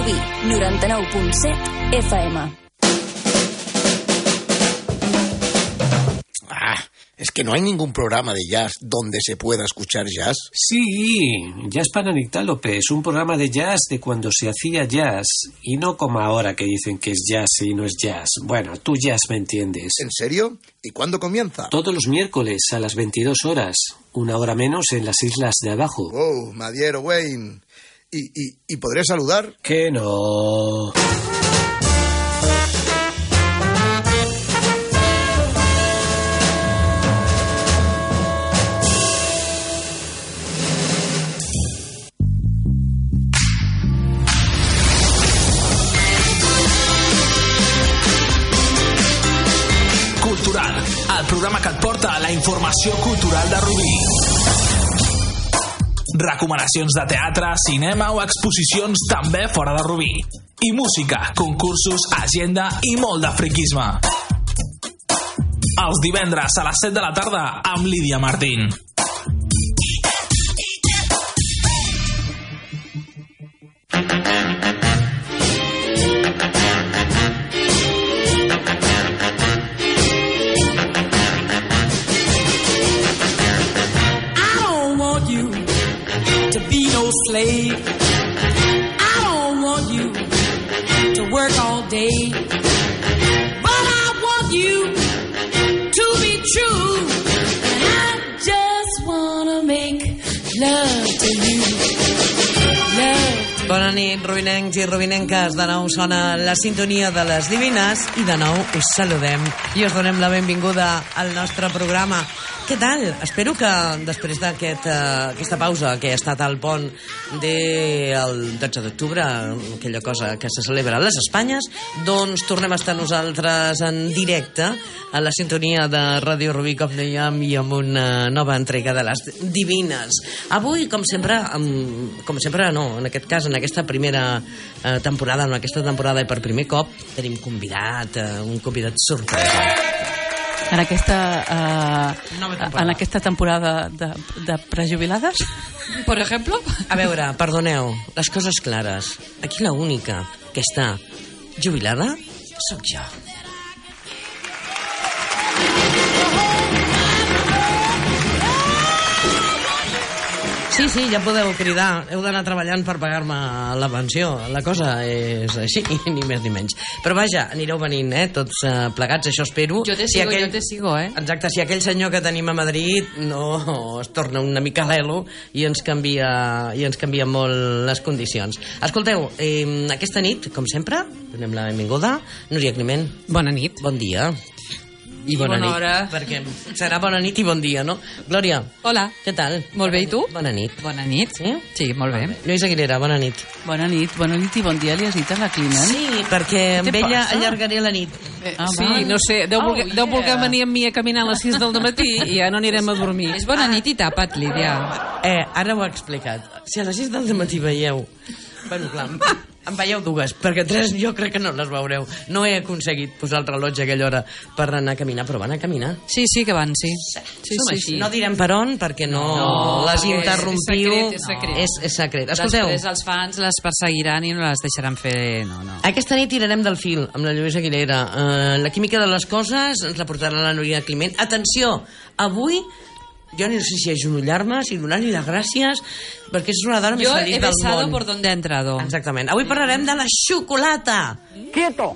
Rubí, 99.7 FM. Es que no hay ningún programa de jazz donde se pueda escuchar jazz. Sí, Jazz Pananictálope es un programa de jazz de cuando se hacía jazz y no como ahora que dicen que es jazz y no es jazz. Bueno, tú jazz me entiendes. ¿En serio? ¿Y cuándo comienza? Todos los miércoles a las 22 horas, una hora menos en las islas de abajo. Oh, Madiero Wayne. ¿Y podré saludar? Que no. El programa que et porta la informació cultural de Rubí. Recomanacions de teatre, cinema o exposicions també fora de Rubí. I música, concursos, agenda i molt de friquisme. Els divendres a les 7 de la tarda amb Lídia Martín. Slave. I don't want you to work all day, but I want you to be true, and I just wanna make love to you. Love. Bona nit, rubinencs i rubinenques. De nou sona la sintonia de les divines i de nou us saludem i us donem la benvinguda al nostre programa. Què tal? Espero que després d'aquesta pausa que ha estat al pont del 12 d'octubre, aquella cosa que se celebra a les Espanyes, doncs tornem a estar nosaltres en directe a la sintonia de Ràdio Rubí, com dèiem, i amb una nova entrega de les divines. Avui, com sempre no, en aquest cas, en aquesta primera temporada, en aquesta temporada i per primer cop, tenim un convidat sorpresa. En aquesta temporada de prejubilades, per exemple? A veure, perdoneu, les coses clares. Aquí l'única que està jubilada sóc jo. Sí, ja podeu cridar. Heu d'anar treballant per pagar-me la pensió. La cosa és així, ni més ni menys. Però vaja, anireu venint, tots plegats, això espero. Jo te sigo, Exacte, si aquell senyor que tenim a Madrid no es torna una mica l'elo i ens canvia molt les condicions. Escolteu, aquesta nit, com sempre, donem la benvinguda. Núria Climent. Bona nit. Bon dia. I bona nit, hora. Perquè serà bona nit i bon dia, no? Glòria. Hola. Què tal? Molt bé, i tu? Bona nit. Bona nit. Sí? Sí, molt bé. Lluís Aguilera, bona nit. Bona nit i bon dia li has dit a la Climent? Sí, perquè amb ella allargaré la nit. Sí, no sé, deu voler venir amb mi a caminar a les 6 del matí i ja no anirem a dormir. És bona nit i tapa't, Lídia. Ara ho he explicat. Si a les 6 del matí veieu... Bueno, clar, en veieu dues, perquè 3 jo crec que no les veureu. No he aconseguit posar el rellotge a aquella hora per anar a caminar, però van a caminar. Sí, que van, sí. Sí. No direm per on, perquè no les interrompiu. És secret. És secret. Escolteu. Després els fans les perseguiran i no les deixaran fer... No. Aquesta nit tirarem del fil amb la Lluís Aguilera. La química de les coses ens la portarà la Núria Climent. Atenció, avui... Jo no sé si ajunollar-me, si donar-li les gràcies, perquè és una dona més feliç del món. Yo he besado por donde ha entrado. Exactament. Avui parlarem de la xocolata. Quieto.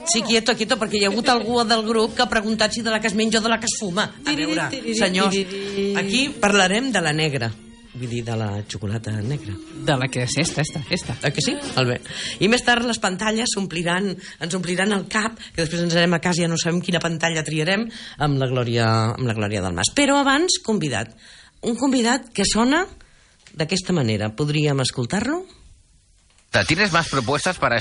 Sí, quieto, perquè hi ha hagut algú del grup que ha preguntat si de la que es menja o de la que es fuma. A veure, senyors, aquí parlarem de la negra. Vull dir, de la xocolata negra. De la que és esta. Que sí? Molt bé. I més tard les pantalles ens ompliran el cap, que després ens anem a casa i ja no sabem quina pantalla triarem, amb la Glòria del Mas. Però abans, convidat. Un convidat que sona d'aquesta manera. Podríem escoltar-lo? ¿Tienes más propuestas para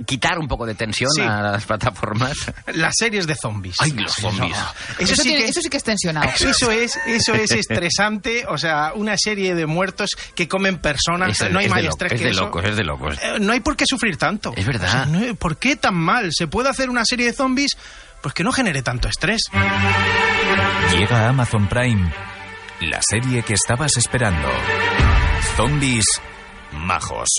quitar un poco de tensión a las plataformas? Las series de zombies. Ay, los zombies. No. Eso sí que es tensionado. Eso es estresante. O sea, una serie de muertos que comen personas. No hay más estrés que eso. Es de locos. No hay por qué sufrir tanto. Es verdad. O sea, ¿por qué tan mal? ¿Se puede hacer una serie de zombies? Pues que no genere tanto estrés. Llega a Amazon Prime la serie que estabas esperando. Zombies, majos.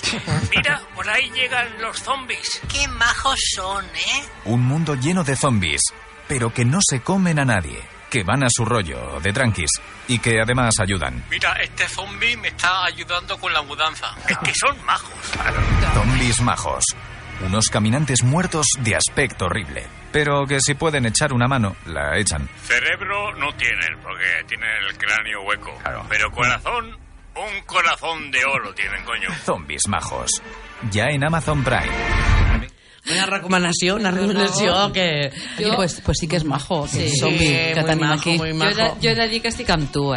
Mira, por ahí llegan los zombies. ¡Qué majos son, eh! Un mundo lleno de zombies, pero que no se comen a nadie, que van a su rollo, de tranquis, y que además ayudan. Mira, este zombie me está ayudando con la mudanza. Es que son majos. Zombies majos. Unos caminantes muertos de aspecto horrible, pero que si pueden echar una mano, la echan. Cerebro no tienen, porque tienen el cráneo hueco. Claro. Pero corazón, un corazón de oro tienen, coño. Zombies majos. Ja en Amazon Prime. Una recomanació que... Pues sí que és majo, Sí, zombi que muy tenim majo, aquí. muy majo. Jo he de dir que estic amb tu,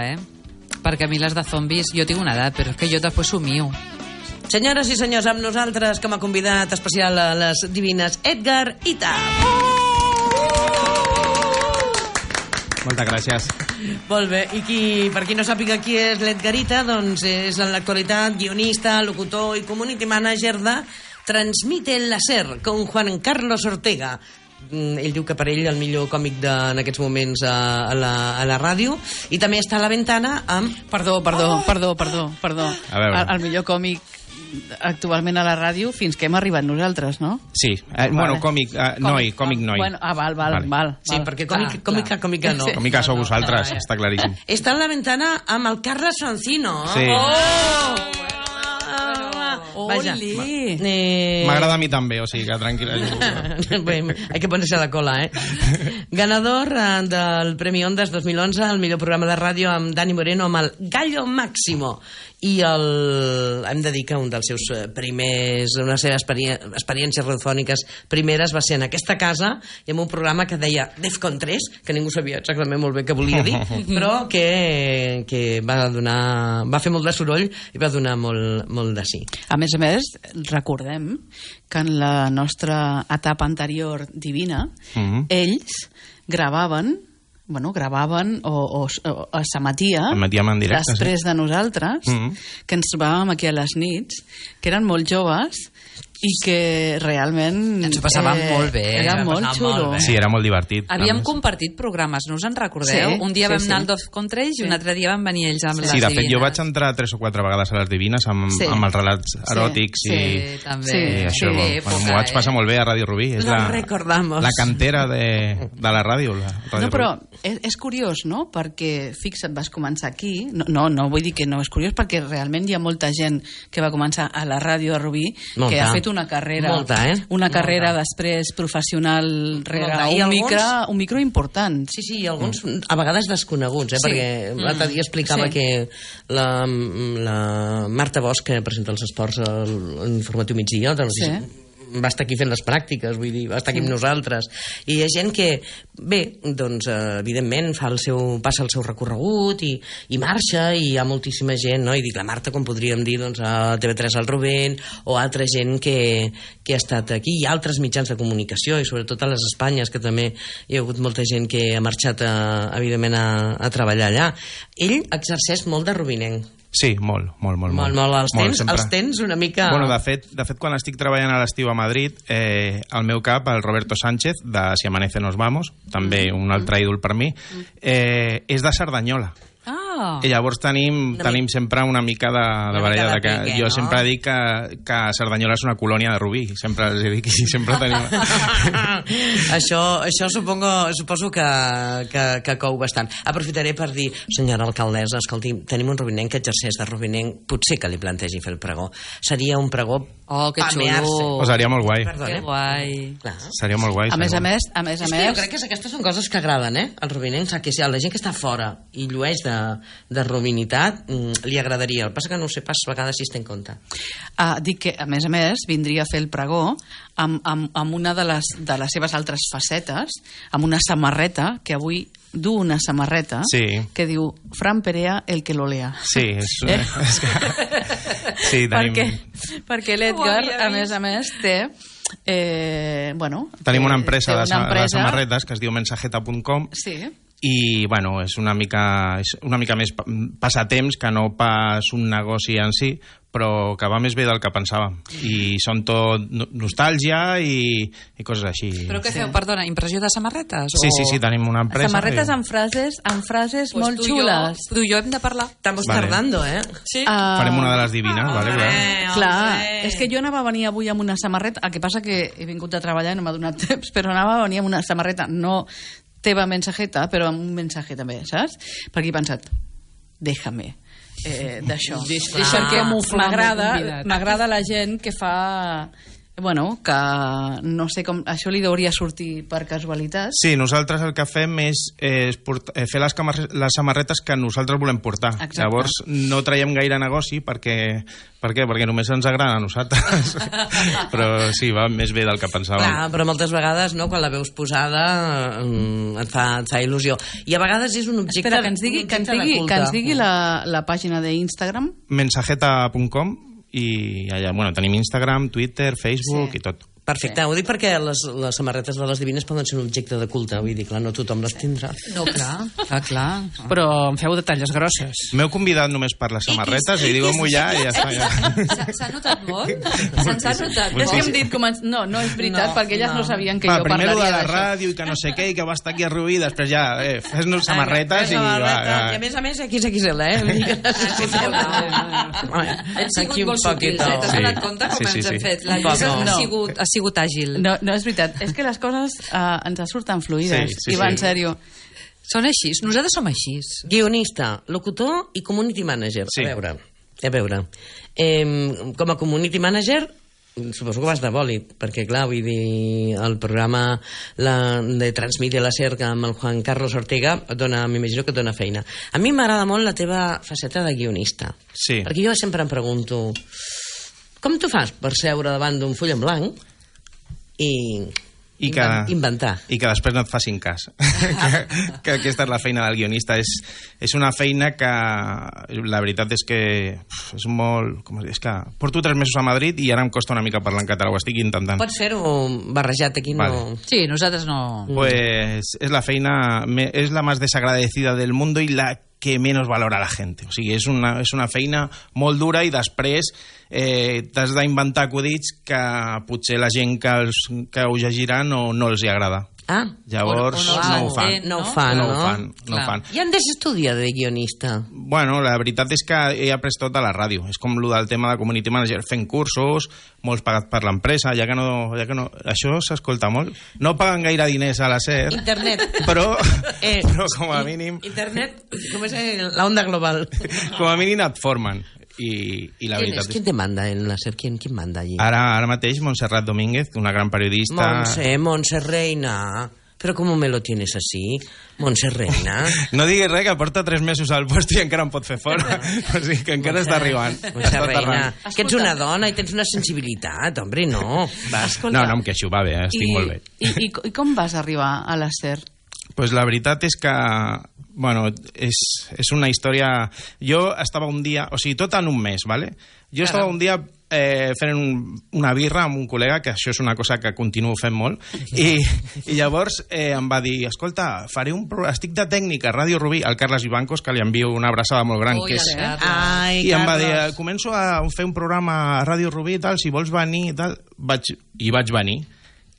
perquè a mi les de zombis, jo tinc una edat, però és que jo després s'ho mio. Senyores i senyors, amb nosaltres com a convidat especial a les divines, Edgar Ita. Moltes gràcies. Molt bé, i per qui no sàpiga qui és l'Edgar Ita, doncs és en l'actualitat guionista, locutor i community manager de Transmite el Láser, con Juan Carlos Ortega. Ell diu que per ell el millor còmic en aquests moments a la ràdio, i també està a la ventana amb... Perdó. A veure. El millor còmic actualment a la ràdio fins que hem arribat nosaltres, no? Sí, bueno, còmic noi. Bueno, val. Sí, perquè còmica no. Còmica sou vosaltres, està claríssim. Està a la ventana amb el Carles Francino. Sí. Vaja. M'agrada a mi també, o sigui que tranquil·la. Bé, hay que ponerse a la cola, Ganador del Premi Ondas 2011 al millor programa de ràdio amb Dani Moreno, amb el Gallo Máximo. I hem de dir que un dels seus primers, una de les seves experiències radiofòniques primeres va ser en aquesta casa i en un programa que deia Defcon 3, que ningú sabia exactament molt bé què volia dir, però que va fer molt de soroll i va donar molt de sí. A més, recordem que en la nostra etapa anterior divina, ells gravaven o s'emetia després de nosaltres, que ens trobàvem aquí a les nits, que eren molt joves i que realment ens ho passàvem molt bé, era molt xulo. Sí, era molt divertit. Havíem compartit programes, no us en recordeu? Sí, un dia vam anar al Defcon 3 i un altre dia van venir ells amb les divines. Sí, de fet jo vaig entrar 3 o 4 vegades a les divines amb els relats eròtics i això, m'ho vaig passar molt bé a Ràdio Rubí. És la cantera de la ràdio. No, però és curiós, no? Perquè, fixa't, vas començar aquí, no vull dir que no és curiós, perquè realment hi ha molta gent que va començar a la ràdio de Rubí que ha fet una carrera després professional rere un micro important. Sí, i alguns a vegades desconeguts, perquè l'altre dia explicava que la Marta Bosch, que presenta els esports a l'Informatiu Migdia, va estar aquí fent les pràctiques, vull dir, va estar aquí amb nosaltres, i hi ha gent que doncs evidentment passa el seu recorregut i marxa, i hi ha moltíssima gent, no? I dic, la Marta, com podríem dir, doncs a TV3 el Rubén, o altra gent que ha estat aquí, i altres mitjans de comunicació, i sobretot a les Espanyes, que també hi ha hagut molta gent que ha marxat evidentment a treballar allà. Ell exerceix molt de rubinenc. Sí, molt. Els tens una mica... Bueno, de fet, quan estic treballant a l'estiu a Madrid, al meu cap, el Roberto Sánchez, de Si amanece nos vamos, també un altre ídol per mi, és de Cerdanyola. I llavors tenim sempre una mica de baralla, que jo sempre dic que Cerdanyola és una colònia de Rubí, sempre els dic, i sempre tenim... Això suposo que cou bastant. Aprofitaré per dir, senyora alcaldessa, escolti, tenim un rubinenc que exerceix de rubinenc, potser que li plantegi fer el pregó. Seria un pregó que xulo. Seria molt guai. Que guai. Seria molt guai. A més, jo crec que aquestes són coses que agraden, el rubinenc, que si la gent que està fora i llueix de rubinitat, li agradaria. El que passa que no ho sé pas a vegades si es té en compte. Dic que, a més, vindria a fer el pregó amb una de les seves altres facetes, amb una samarreta, que avui du una samarreta que diu Fran Perea, el que lo lea. Sí, perquè l'Edgar, a més, té... tenim una empresa de samarretes que es diu mensajeta.com i bueno, és una mica més passatemps que no pas un negoci en si, però que va més bé del que pensàvem, i són tot nostàlgia i coses així. Però què feu, perdona, impressió de samarretes? Sí, tenim una empresa. Samarretes amb frases molt xules. Tu i jo hem de parlar. Estamos tardando, Sí. Farem una de les divines, vale? Clar, és que jo anava a venir avui amb una samarreta, el que passa que he vingut a treballar i no m'ha donat temps, però anava a venir amb una samarreta, no teva mensajeta, però amb un mensaje també, saps? Perquè he pensat, déjame d'això. Perquè m'agrada la gent que fa... Bueno, que no sé com... Això li hauria sortir per casualitat. Sí, nosaltres el que fem és fer les samarretes que nosaltres volem portar. Exacte. Llavors no traiem gaire negoci perquè només ens agrada a nosaltres. Però sí, va més bé del que pensàvem. Clar, però moltes vegades, no, quan la veus posada et fa il·lusió. I a vegades és un objecte... Espera, que ens digui la pàgina d'Instagram. Mensajeta.com. I allà, bueno, tenim Instagram, Twitter, Facebook i tot. Perfecte, ho dic perquè les samarretes de les divines poden ser un objecte de culte, vull dir, clar, no tothom les tindrà. No, clar. Però em feu de talles grosses. M'heu convidat només per les samarretes i digue-m'ho ja i ja està. Ja. S'ha notat molt? Se'ns ha notat molt? És que hem dit, no és veritat, perquè elles no sabien que jo parlaria d'això. Primer de la d'això. ràdio i que no sé què, i que va estar aquí a Rubí, després ja, fes-nos samarretes i va. I a més, XXL, Hem sigut molt sutils, t'has donat compte com ens hem fet? La Lluïsa ha sigut àgil. No, és veritat, és que les coses ens surten fluïdes, i va en sèrio. Són així, nosaltres som així. Guionista, locutor i community manager. Sí. A veure. Com a community manager, suposo que vas de bòlit, perquè clar, vull dir, el programa de Transmedia la Cerca amb el Juan Carlos Ortega m'imagino que et dona feina. A mi m'agrada molt la teva faceta de guionista. Sí. Perquè jo sempre em pregunto, com tu fas per seure davant d'un full en blanc i inventar. I que després no et facin cas. que aquesta és la feina del guionista. És una feina que la veritat és que és molt... És que porto 3 mesos a Madrid i ara em costa una mica parlar en català, ho estic intentant. Pots fer-ho barrejat aquí? Vale. No... Sí, nosaltres no... Pues es la feina, es la más desagradecida del mundo i la que menos valora la gent. O sigui, és una feina molt dura i després t'has d'inventar acudits que potser la gent que ho llegirà no els hi agrada. Llavors no ho fan. I on s'estudia de guionista? Bueno, la veritat és que he après tot a la ràdio. És com el del tema de community manager, fent cursos, molts pagats per l'empresa, ja que no... Això s'escolta molt. No paguen gaire diners a la SER. Internet. Però com a mínim... Internet, com és la onda global. Com a mínim et formen. I la veritat és... ¿Quién te manda en la SER? ¿Quién manda allí? Ara mateix Montserrat Domínguez, una gran periodista... Montse Reina... Però com me lo tienes así, Montse Reina? No diguis res, que porta 3 mesos al post i encara em pot fer fora. O sigui que encara està arribant. Montse Reina, que ets una dona i tens una sensibilitat, hombre, no. No, em queixo, va bé, estic molt bé. I com vas arribar a la SER? Pues la veritat és que, bueno, és una història... Jo estava un dia, o sigui, tot en un mes, ¿vale? Jo estava un dia fent una birra amb un col·lega, que això és una cosa que continuo fent molt, i llavors em va dir, escolta, estic de tècnic a Ràdio Rubí, al Carles Ivancos, que li envio una abraçada molt gran, i em va dir, començo a fer un programa a Ràdio Rubí i tal, si vols venir i tal, i vaig venir.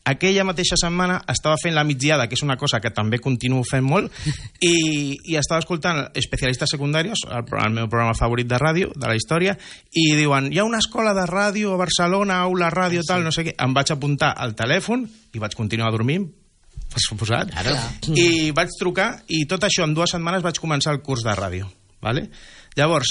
Aquella mateixa setmana estava fent la migdiada, que és una cosa que també continuo fent molt, i estava escoltant Especialistes Secundarios, el meu programa favorit de ràdio, de la història, i diuen, hi ha una escola de ràdio a Barcelona, aula ràdio, tal, no sé què. Em vaig apuntar al telèfon i vaig continuar dormint, per suposat, i vaig trucar, i tot això en 2 setmanes vaig començar el curs de ràdio. Vale? Llavors,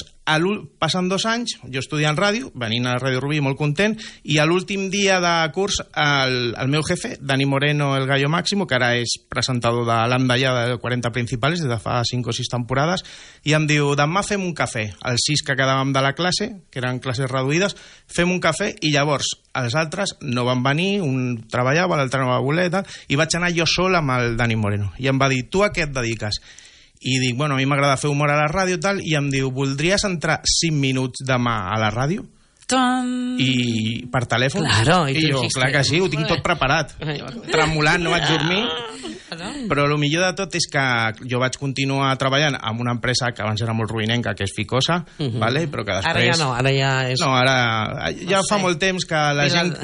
passen 2 anys, jo estudiant ràdio, venint a Ràdio Rubí molt content, i a l'últim dia de curs el meu jefe, Dani Moreno, el Gallo Máximo, que ara és presentador de l'Andallada de 40 Principales des de fa 5 o 6 temporades, i em diu, demà fem un cafè. Els 6 que quedàvem de la classe, que eren classes reduïdes, fem un cafè, i llavors els altres no van venir, un treballava, l'altre no va voler, i vaig anar jo sol amb el Dani Moreno. I em va dir, tu a què et dediques? I dic, bueno, a mi m'agrada fer humor a la ràdio i tal, i em diu, voldries entrar 5 minuts demà a la ràdio? I per telèfon. Claro, i jo, clar que sí, ho tinc tot preparat. Tremolant, no vaig dormir. Però el millor de tot és que jo vaig continuar treballant amb una empresa que abans era molt ruïnenca, que és Ficosa, vale? Però que després... Ara ja no, ara ja és... No, ara ja fa molt temps que la gent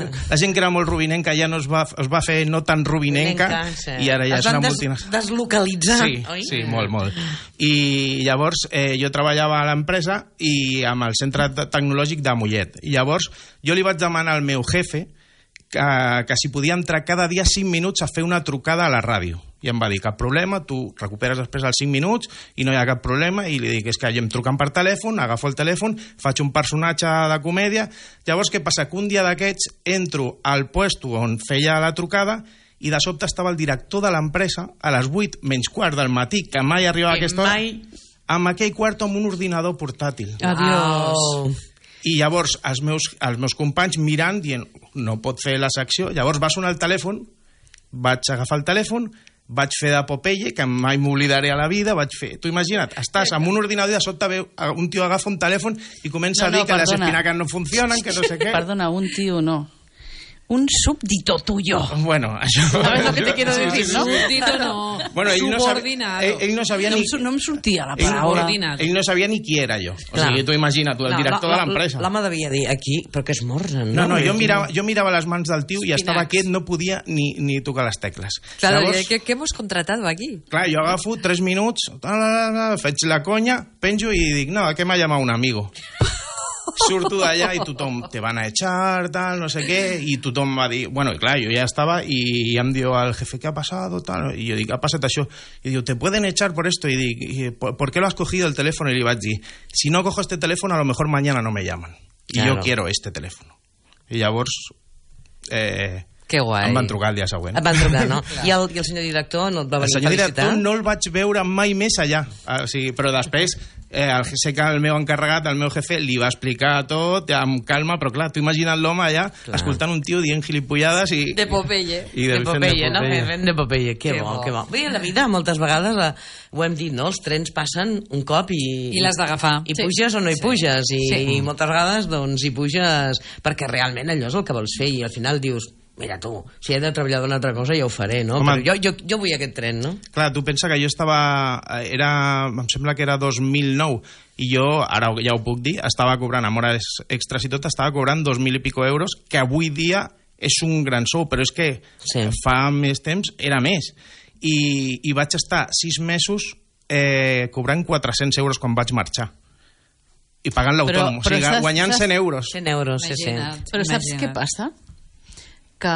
que era molt ruïnenca ja no es va fer no tan ruïnenca i ara ja és una multinacional. Es van deslocalitzar. Sí, molt. I llavors jo treballava a l'empresa i amb el centre tecnològic de Mollet. I llavors jo li vaig demanar al meu jefe que si podia entrar cada dia 5 minuts a fer una trucada a la ràdio. I em va dir, cap problema, tu recuperes després els 5 minuts i no hi ha cap problema. I li dic, és que jo em truquen per telèfon, agafo el telèfon, faig un personatge de comèdia. Llavors, què passa? Que un dia d'aquests entro al puesto on feia la trucada i de sobte estava el director de l'empresa a les 8 menys quart del matí, que mai arribava a aquesta hora, amb aquell quarto amb un ordinador portàtil. Adiós. I llavors els meus companys mirant, dient, no pot fer la secció. Llavors va sonar el telèfon, vaig agafar el telèfon, vaig fer de Popeye, que mai m'oblidaré a la vida, vaig fer... Tu imagina't, estàs amb un ordinador i de sobte veu, un tio agafa un telèfon i comença a dir que les espinacas no funcionen, que no sé què... Perdona, un tio no. Un súbdito tuyo. Bueno, això... ¿Sabes lo que te quiero decir, no? Súbdito no. Bueno, subordinado. Ell no sabia ni... No em sortia la paraula. Ell no sabia ni qui era jo. O sigui, tu imagina't, el director de l'empresa. L'home devia dir, aquí, però que és morren, no? No, jo mirava les mans del tio i estava quiet, no podia ni tocar les tecles. Claro, ¿qué hemos contratado aquí? Clar, jo agafo 3 minuts, faig la conya, penjo i dic, no, que m'ha llamat un amigo. Surto d'allà i tothom te van a echar, tal, no sé què, i tothom va dir, bueno, i clar, jo ja estava i em diu al jefe, ¿qué ha pasado? Tal, i jo dic, ha passat això, i diu, te pueden echar por esto, i dic, ¿por qué lo has cogido el teléfono? I li vaig dir, si no cojo este teléfono, a lo mejor mañana no me llaman, y yo quiero este teléfono. I llavors que guai. Em van trucar el dia següent. Et van trucar, no? I el senyor director no et va venir a felicitar? El senyor director no el vaig veure mai més allà. O sigui, però després sé que el meu encarregat, el meu jefe, li va explicar tot amb calma, però clar, tu imagina't l'home allà escoltant un tio dient gilipollades i... De Popeye. De Popeye, no? De Popeye, que bo, que bo. Bé, a la vida moltes vegades ho hem dit, no? Els trens passen un cop i l'has d'agafar. I puges o no hi puges. I moltes vegades doncs hi puges perquè realment allò és el que vols fer i al final dius, mira tu, si he de treballar d'una altra cosa ja ho faré, no? Home, però jo vull aquest tren, no? Clar, tu pensa que jo estava... em sembla que era 2009 i jo, ara ja ho puc dir, estava cobrant amb hores extras i tot, estava cobrant 2.000 i pico euros, que avui dia és un gran sou, però és que fa més temps era més. I vaig estar 6 mesos cobrant 400 euros quan vaig marxar. I pagant l'autònom, o sigui, guanyant 100 euros. 100 euros, sí. Però saps què passa? Que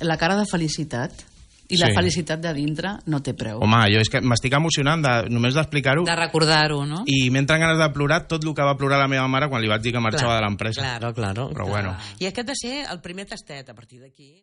la cara de felicitat i la felicitat de dintre no té preu. Home, jo és que m'estic emocionant només d'explicar-ho. De recordar-ho, no? I m'entren ganes de plorar tot el que va plorar la meva mare quan li vaig dir que marxava de l'empresa. Claro. Però bueno. I aquest ha de ser el primer tastet a partir d'aquí.